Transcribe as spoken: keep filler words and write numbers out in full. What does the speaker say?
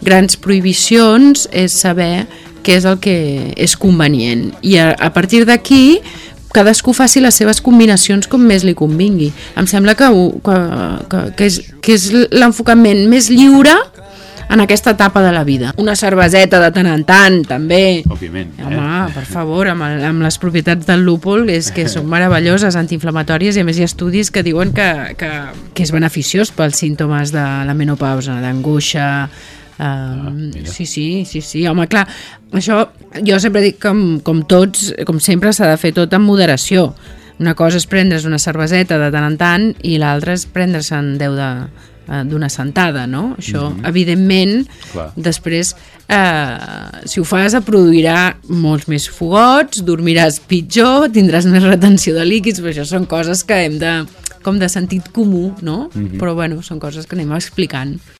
grans prohibicions és saber què és el que és convenient. I a, a partir d'aquí cadascú faci les seves combinacions com més li convingui. Em sembla que, que, que, que és, que és l'enfocament més lliure en aquesta etapa de la vida. Una cerveseta de tant en tant, també. Òbviament. Eh? Home, per favor, amb, el, amb les propietats del lúpul, és que són meravelloses, antiinflamatòries, i a més hi ha estudis que diuen que, que, que és beneficiós pels símptomes de la menopausa, d'angoixa. Uh, ah, sí, sí, sí, sí, home, clar, això jo sempre dic que com, com tots, com sempre s'ha de fer tot amb moderació. Una cosa és prendre's una cerveseta de tant en tant i l'altra és prendre-se'n deu de d'una sentada, no? Això, mm-hmm. evidentment, clar. Després, eh, si ho fas, et produirà molts més fogots, dormiràs pitjor, tindràs més retenció de líquids, però això són coses que hem de, com de sentit comú, no? Mm-hmm. Però, bueno, són coses que anem explicant.